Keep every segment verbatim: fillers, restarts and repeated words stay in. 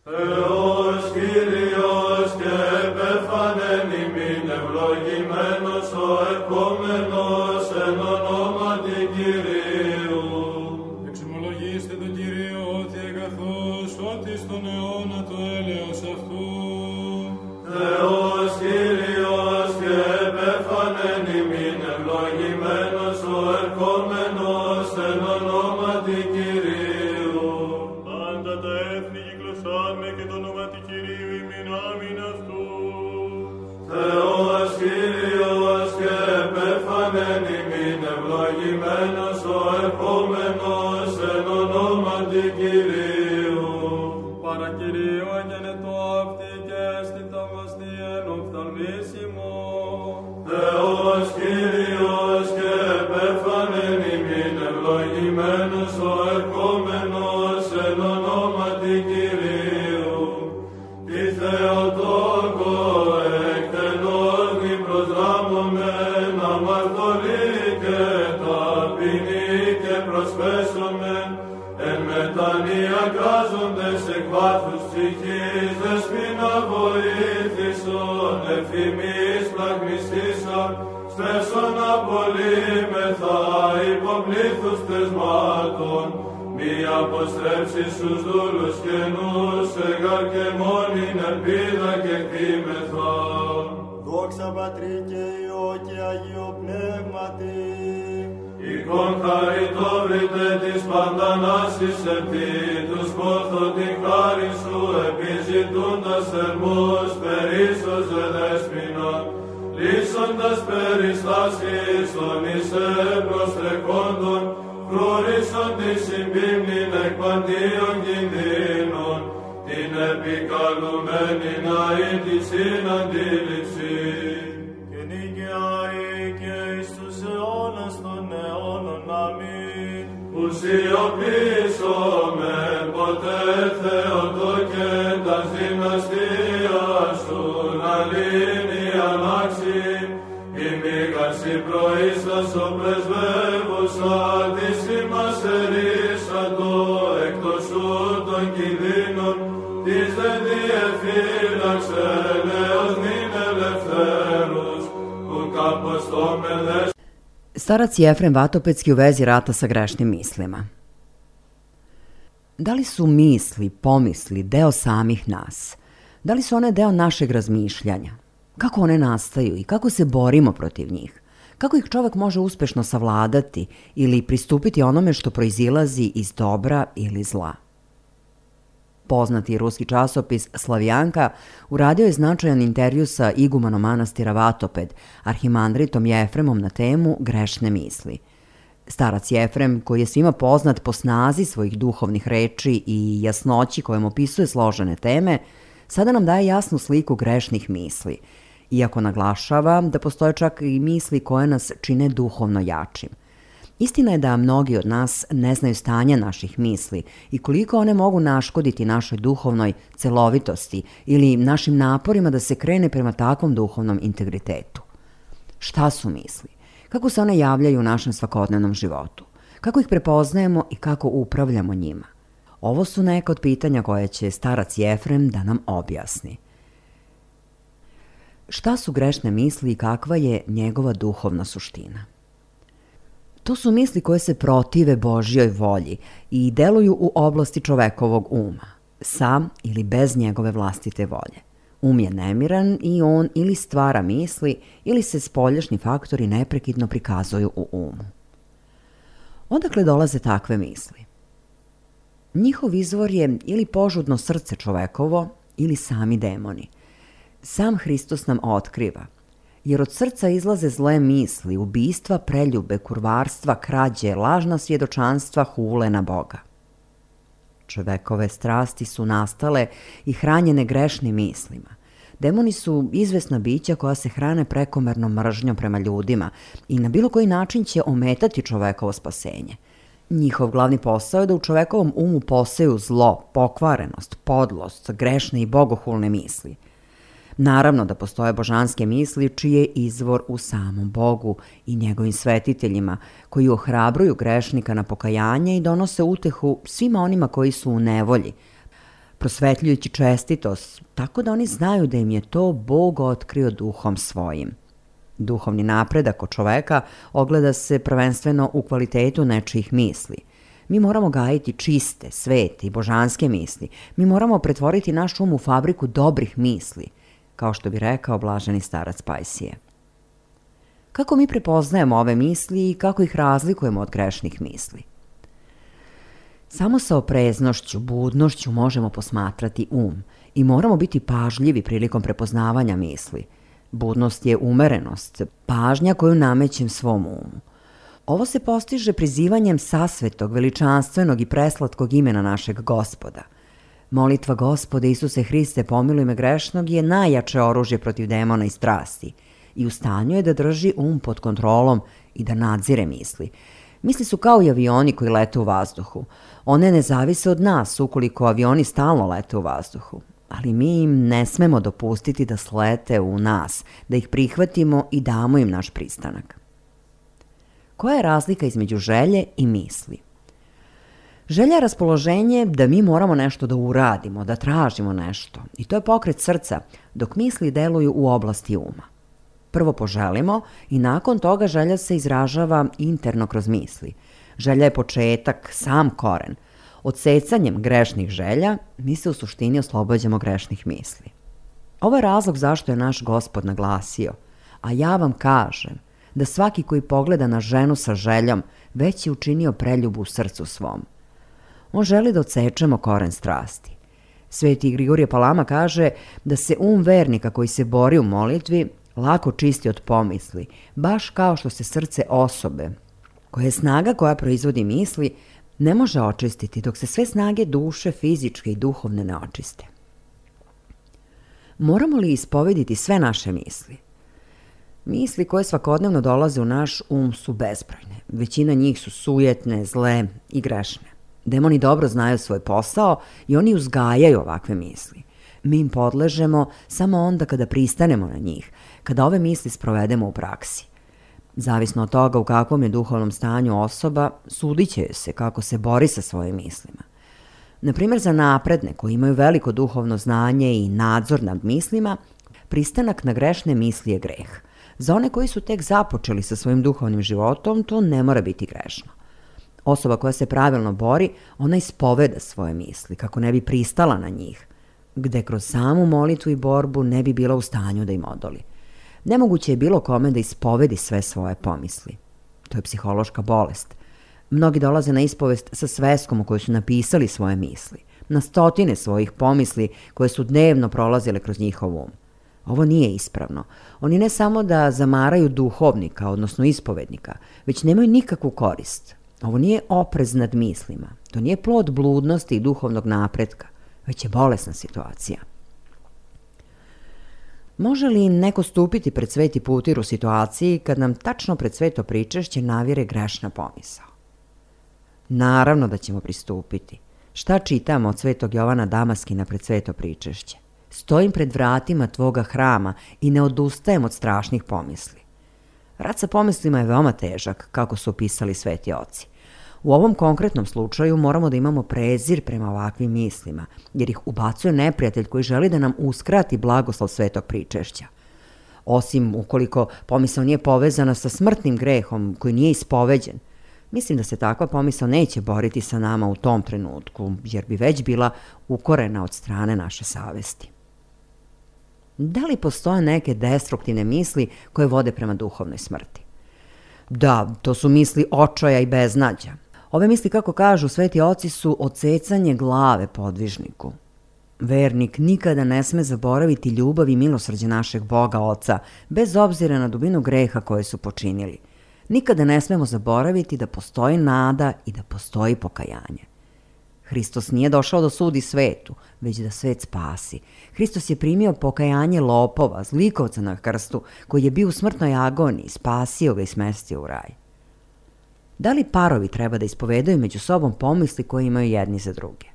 Θεός Κύριος και επέφανεν ημίν ευλογημένος ο επόμενος εν ονόματι Κυρίου. Εξομολογήστε τον Κύριο ότι εγκαθώς ότι στον αιώνα το έλεος αυτού. Θεός Κύριος και επέφανεν ημίν ευλογημένος ο ερχόμενος εν ονόματι Κυρίου. Πάντα τα έθνη κυκλωσάμε και το ονόματι Κυρίου ημίν άμην αυτού. Θεός Κύριος και επέφανεν ημίν ευλογημένος ο ερχόμενος εν ονόματι Κυρίου. Παρακυρίου εγενετό αυτή και αίσθητα μαστή εν οφθαλμίσιμο. Θεός Κύριος και επέφανεν ημίν ευλογημένος ο ερχόμενος εν ονόματι Κυρίου. Τη Θεοτόκο εκτενώς μη προσδράμωμεν αμαρτωλή και ταπεινή και προσφέσομεν εν μετανία κράζοντες εκ βάθους ψυχής δεσποινα βοήθησον ευθυμής πλαγμιστήσαν στέσον απολύμεθα υποπλήθους θεσμάτων μη αποστρέψει στους δούλους καινούς εγάρ και μόνην ελπίδα και κτήμεθα. Δόξα Πατρί και Υιό και Αγίο Πνεύματι. Εικόν χαριτόβρητε της παντανάσης επί τους πόθο την χάρη σου επιζητούντας θερμούς περίσσοζε δέσποινα λύσοντας περιστάσεις των εισέ προστρεχόντων φρούρισσον τη συμπίμνην εκ παντίων κινδύνων την επικαλουμένη να είναι τη συναντήληψη. Και νικαιάει και εις τους αιώνας των αιώνων. Αμήν. Που σιωπήσομεν ποτέ Θεοτόκε τας δυναστείας σου να λύνει ανάξι η μήγαση προείστας ο πρεσβεύουσα της ημάς ερίσαντο εκτός σου των κινδύνων της δε διεφύλαξε νέος νυν ελευθέρους που καποστόμεν δες. Starac Jefrem Vatopedski u vezi rata sa grešnim mislima. Da li su misli, pomisli deo samih nas? Da li su one deo našeg razmišljanja? Kako one nastaju i kako se borimo protiv njih? Kako ih čovek može uspešno savladati ili pristupiti onome što proizilazi iz dobra ili zla? Poznati ruski časopis Slavjanka uradio je značajan intervju sa igumanom manastira Vatoped, arhimandritom Jefremom na temu grešne misli. Starac Jefrem, koji je svima poznat po snazi svojih duhovnih reči i jasnoći kojom opisuje složene teme, sada nam daje jasnu sliku grešnih misli, iako naglašava da postoje čak i misli koje nas čine duhovno jačim. Istina je da mnogi od nas ne znaju stanje naših misli i koliko one mogu naškoditi našoj duhovnoj celovitosti ili našim naporima da se krene prema takvom duhovnom integritetu. Šta su misli? Kako se one javljaju u našem svakodnevnom životu? Kako ih prepoznajemo i kako upravljamo njima? Ovo su neka od pitanja koje će starac Jefrem da nam objasni. Šta su grešne misli i kakva je njegova duhovna suština? To su misli koje se protive Božjoj volji i deluju u oblasti čovekovog uma, sa ili bez njegove vlastite volje. Um je nemiran i on ili stvara misli ili se spoljašnji faktori neprekidno prikazuju u umu. Odakle dolaze takve misli? Njihov izvor je ili požudno srce čovekovo ili sami demoni. Sam Hristos nam otkriva, jer od srca izlaze zle misli, ubistva, preljube, kurvarstva, krađe, lažna svjedočanstva, hule na Boga. Čovekove strasti su nastale i hranjene grešnim mislima. Demoni su izvesna bića koja se hrane prekomernom mržnjom prema ljudima i na bilo koji način će ometati čovekovo spasenje. Njihov glavni posao je da u čovekovom umu poseju zlo, pokvarenost, podlost, grešne i bogohulne misli. Naravno da postoje božanske misli čiji je izvor u samom Bogu i njegovim svetiteljima, koji ohrabruju grešnika na pokajanje i donose utehu svima onima koji su u nevolji, prosvetljujući čestitost, tako da oni znaju da im je to Bog otkrio duhom svojim. Duhovni napredak kod čoveka ogleda se prvenstveno u kvalitetu nečijih misli. Mi moramo gajiti čiste, svete i božanske misli. Mi moramo pretvoriti naš um u fabriku dobrih misli, kao što bi rekao blaženi starac Pajsije. Kako mi prepoznajemo ove misli i kako ih razlikujemo od grešnih misli? Samo sa opreznošću, budnošću možemo posmatrati um i moramo biti pažljivi prilikom prepoznavanja misli. Budnost je umerenost, pažnja koju namećem svom umu. Ovo se postiže prizivanjem sasvetog, veličanstvenog i preslatkog imena našeg Gospoda. Molitva Gospode Isuse Hriste, pomiluj me grešnog je najjače oružje protiv demona i strasti i u stanju je da drži um pod kontrolom i da nadzire misli. Misli su kao i avioni koji lete u vazduhu. One ne zavise od nas ukoliko avioni stalno lete u vazduhu, ali mi im ne smemo dopustiti da slete u nas, da ih prihvatimo i damo im naš pristanak. Koja je razlika između želje i misli? Želja je raspoloženje da mi moramo nešto da uradimo, da tražimo nešto. I to je pokret srca, dok misli deluju u oblasti uma. Prvo poželimo i nakon toga želja se izražava interno kroz misli. Želja je početak, sam koren. Odsecanjem grešnih želja mi se u suštini oslobađamo grešnih misli. Ovo je razlog zašto je naš Gospod naglasio, a ja vam kažem da svaki koji pogleda na ženu sa željom već je učinio preljubu u srcu svom. On želi da odsečemo koren strasti. Sveti Grigorije Palama kaže da se um vernika koji se bori u molitvi lako čisti od pomisli, baš kao što se srce osobe, koja je snaga koja proizvodi misli, ne može očistiti dok se sve snage duše, fizičke i duhovne ne očiste. Moramo li ispovediti sve naše misli? Misli koje svakodnevno dolaze u naš um su bezbrojne. Većina njih su sujetne, zle i grešne. Demoni dobro znaju svoj posao i oni uzgajaju ovakve misli. Mi im podležemo samo onda kada pristanemo na njih, kada ove misli sprovedemo u praksi. Zavisno od toga u kakvom je duhovnom stanju osoba, sudit će se kako se bori sa svojim mislima. Naprimjer, za napredne koji imaju veliko duhovno znanje i nadzor nad mislima, pristanak na grešne misli je greh. Za one koji su tek započeli sa svojim duhovnim životom, to ne mora biti grešno. Osoba koja se pravilno bori, ona ispoveda svoje misli, kako ne bi pristala na njih, gde kroz samu molitvu i borbu ne bi bila u stanju da im odoli. Nemoguće je bilo kome da ispovedi sve svoje pomisli. To je psihološka bolest. Mnogi dolaze na ispovest sa sveskom u kojoj su napisali svoje misli, na stotine svojih pomisli koje su dnevno prolazile kroz njihov um. Ovo nije ispravno. Oni ne samo da zamaraju duhovnika, odnosno ispovednika, već nemaju nikakvu korist. Ovo nije oprez nad mislima. To nije plod bludnosti i duhovnog napretka, već je bolesna situacija. Može li neko stupiti pred sveti putir u situaciji kad nam tačno pred sveto pričešće navire grešna pomisao? Naravno da ćemo pristupiti. Šta čitamo od svetog Jovana Damaskina pred sveto pričešće? Stojim pred vratima tvoga hrama i ne odustajem od strašnih pomisli. Rad sa pomislima je veoma težak, kako su opisali sveti oci. U ovom konkretnom slučaju moramo da imamo prezir prema ovakvim mislima, jer ih ubacuje neprijatelj koji želi da nam uskrati blagoslov svetog pričešća. Osim ukoliko pomisao nije povezana sa smrtnim grehom koji nije ispoveđen, mislim da se takva pomisao neće boriti sa nama u tom trenutku, jer bi već bila ukorena od strane naše savesti. Da li postoje neke destruktivne misli koje vode prema duhovnoj smrti? Da, to su misli očaja i beznađa. Ove misli, kako kažu sveti oci, su odsecanje glave podvižniku. Vernik nikada ne sme zaboraviti ljubav i milosrđe našeg Boga Oca, bez obzira na dubinu greha koje su počinili. Nikada ne smemo zaboraviti da postoji nada i da postoji pokajanje. Hristos nije došao da sudi svetu, već da svet spasi. Hristos je primio pokajanje lopova, zlikovca na krstu, koji je bio u smrtnoj agoniji, spasio ga i smestio u raj. Da li parovi treba da ispovedaju među sobom pomisli koje imaju jedni za druge?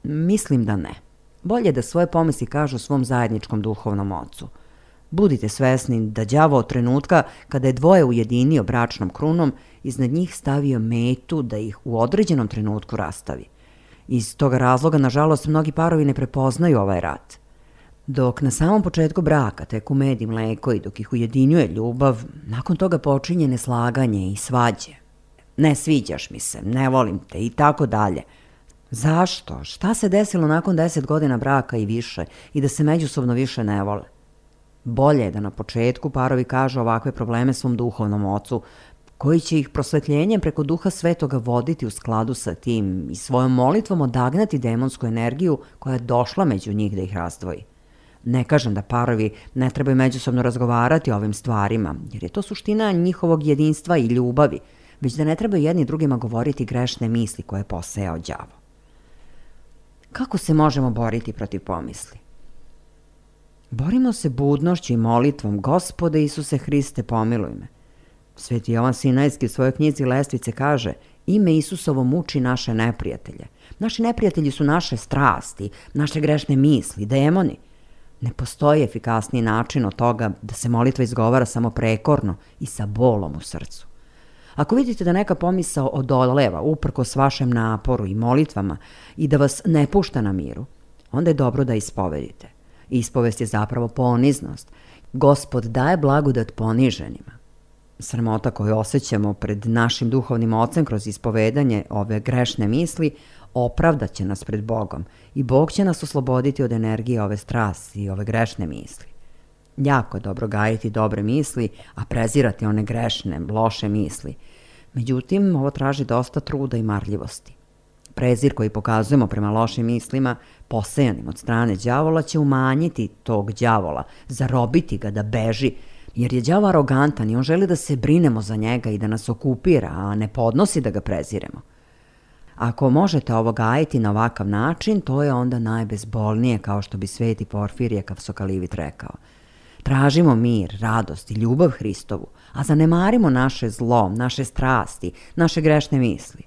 Mislim da ne. Bolje da svoje pomisli kažu svom zajedničkom duhovnom ocu. Budite svesni da đavo od trenutka kada je dvoje ujedinio bračnom krunom, iznad njih stavio metu da ih u određenom trenutku rastavi. Iz toga razloga, nažalost, mnogi parovi ne prepoznaju ovaj rat. Dok na samom početku braka teku med i mleko i dok ih ujedinjuje ljubav, nakon toga počinje neslaganje i svađe. Ne sviđaš mi se, ne volim te i tako dalje. Zašto? Šta se desilo nakon deset godina braka i više i da se međusobno više ne vole? Bolje je da na početku parovi kažu ovakve probleme svom duhovnom ocu, koji će ih prosvetljenjem preko Duha Svetoga voditi u skladu sa tim i svojom molitvom odagnati demonsku energiju koja je došla među njih da ih razdvoji. Ne kažem da parovi ne trebaju međusobno razgovarati o ovim stvarima, jer je to suština njihovog jedinstva i ljubavi, već da ne trebaju jedni drugima govoriti grešne misli koje je posejao đavo. Kako se možemo boriti protiv pomisli? Borimo se budnošću i molitvom: Gospode Isuse Hriste, pomiluj me. Sveti Jovan Sinajski u svojoj knjizi Lestvice kaže: ime Isusovo muči naše neprijatelje. Naši neprijatelji su naše strasti, naše grešne misli, demoni. Ne postoji efikasniji način od toga da se molitva izgovara samo prekorno i sa bolom u srcu. Ako vidite da neka pomisao odoleva uprkos vašem naporu i molitvama i da vas ne pušta na miru, onda je dobro da ispovedite. Ispovest je zapravo poniznost. Gospod daje blagodat poniženima. Sramota koju osjećamo pred našim duhovnim ocem kroz ispovedanje ove grešne misli opravdat će nas pred Bogom i Bog će nas osloboditi od energije ove strasti i ove grešne misli. Jako je dobro gajiti dobre misli, a prezirati one grešne, loše misli. Međutim, ovo traži dosta truda i marljivosti. Prezir koji pokazujemo prema lošim mislima, posejanim od strane đavola, će umanjiti tog đavola, zarobiti ga da beži, jer je đavo arogantan i on želi da se brinemo za njega i da nas okupira, a ne podnosi da ga preziremo. Ako možete ovo gajiti na ovakav način, to je onda najbezbolnije, kao što bi sveti Porfirije Kavsokalivit rekao. Tražimo mir, radost i ljubav Hristovu, a zanemarimo naše zlo, naše strasti, naše grešne misli.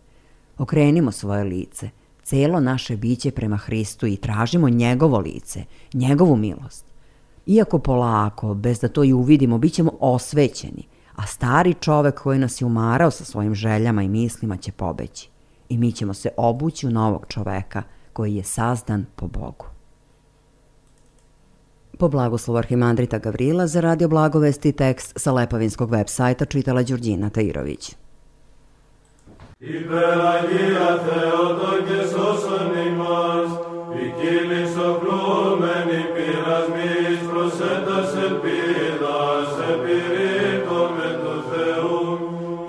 Okrenimo svoje lice, celo naše biće prema Hristu i tražimo njegovo lice, njegovu milost. Iako polako, bez da to i uvidimo, bit ćemo osvećeni, a stari čovek koji nas je umarao sa svojim željama i mislima će pobeći. I mi ćemo se obući u novog čoveka koji je sazdan po Bogu. Po blagoslovu arhimandrita Gavrila za Radio Blagovesti tekst sa Lepavinskog web sajta čitala Đurđina Tairović. Υπεραγία Θεότο και σώσον ημάς, ποικίλης οκλούμενη πειρασμής, προσέτας ελπίδας, επιρρύπτω με του Θεού,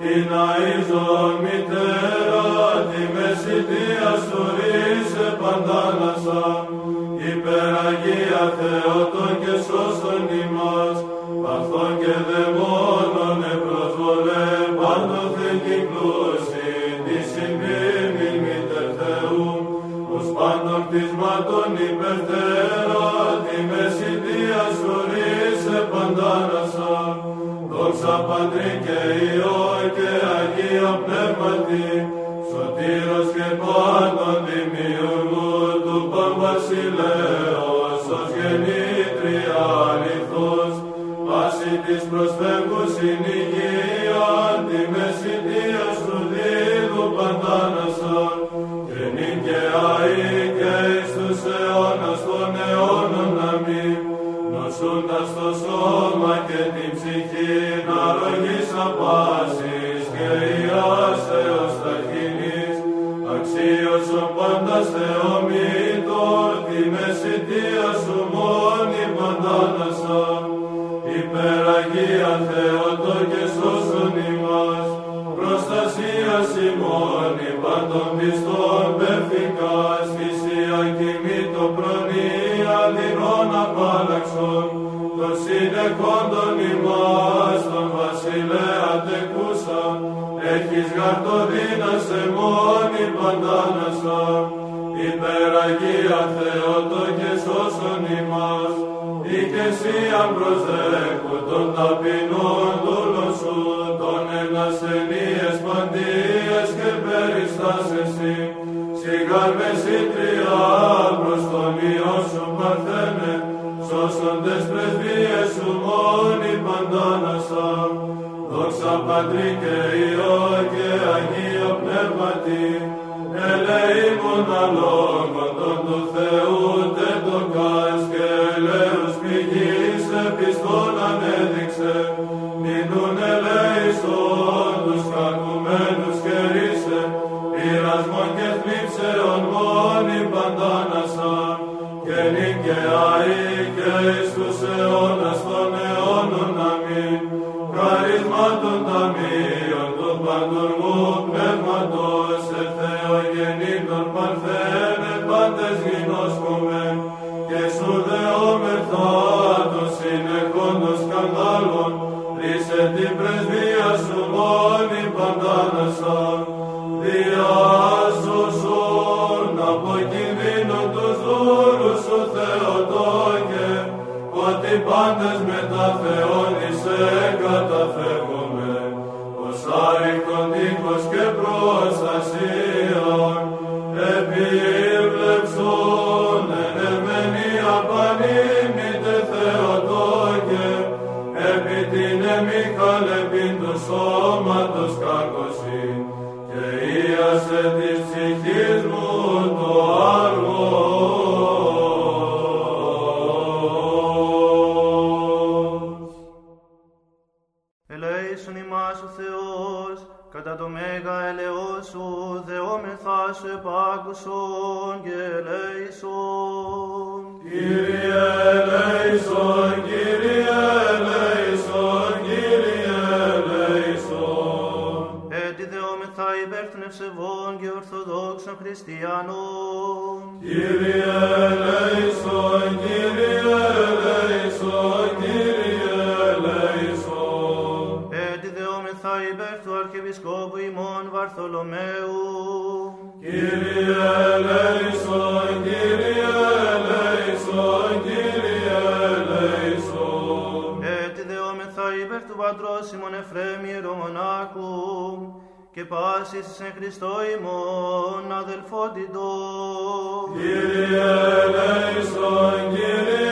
την αΐζον μητέρα, τη μεσητεία σου ρίσε παντάνασα. Υπεραγία Θεότο και σώσον ημάς, παθών και δαιμόνων επροσβολέ, πάντοθεν κυκλούσι, πάντων κτισμάτων υπερθέρα, τη μεσητεία σου ρίσε παντάνασα. Δόξα Πατρί και Υιό και Αγία Πνεύματι, σωτήρος και πάντων δημιουργού του Παμβασιλέως, ως γεννήτρια αληθώς, πάση της προσφεύγους στην υγεία, τη μεσητεία σου δίδου παντάνασα. Και αεί και εις τους αιώνας των αιώνων αμήν, νοσούντας το σώμα και την ψυχή, αρρωγής απάσης και ιάσεως ταχυνής, αξίωσον πάντας Θεομήτω, τη μεσητεία σου μόνη παντάνασα. Υπεραγία Θεότο και σώσον ημάς, προστασίας ημώνη πάντων πιστών πεφικάς, θυσία κοιμήτω προνοία δεινών απάλλαξον, των συνεχόντων ημάς, τον βασιλέα τεκούσα, έχεις γαρτοδίνας εμόνη παντάνασα. Υπεραγία Θεότο και σώσον ημάς, ή και εσύ αν προσδέχου των ταπεινών δούλων σου, των ενασθενείες παντίες και περιστάσεις, σιγάρ μεσήτρια προς τον Υιό σου παρθένε, σώσοντες πρεσβείες σου μόνοι παντάνασα. Δόξα Πατρί και Υιό και Αγίο Πνεύματι, ελεήμων αλλό και αεί και εις τους αιώνας των αιώνων αμήν. Χαρισμάτων ταμείων του παντουργού πνεύματος, ε Θεογεννήτων παρθένε πάντες γινώσκομεν, και σου δεόμεθα των συνεχόντων σκανδάλων, ρίσε την πρεσβεία σου μόνη παντάνασαν, διάσωσον από κινδύνων τους δούλους σου Θεοτόκε, ότι πάντες μετά Θεόν είσαι καταφεύγομαι, ως άρρηκτον τείχος και προστασίαν, επίβλεψον εν εμενή απανήμητε Θεοτόκε, επί την εμιχαλεπήν του σώματος κακοσύν, και ίασε της ψυχής μου το άργος. Ελέησον ημάς ο Θεός, κατά το μέγα ελεός σου, δεόμεθά σου επάκουσον και ελέησον. Κύριε ελέησον, Κύριε ελέησον, Κύριε ελέησον. Έτσι δεόμεθα υπέρ των ευσεβών και ορθοδόξων χριστιανών. Κύριε ελέησον, Κύριε ελέησον, Κύριε ελέησον. Έτσι δεόμεθα υπέρ του Αρχιεπισκόπου ημών Βαρθολομαίου. Κύριε ελέησον, Κύριε ελέησον, Κύριε ελέησον. Έτσι δεόμεθα υπέρ του Πατρός ημών Εφραίμ Ιερομονάχου και πάσης εν Χριστώ ημών αδελφότητος. Κύριε ελέησον, Κύριε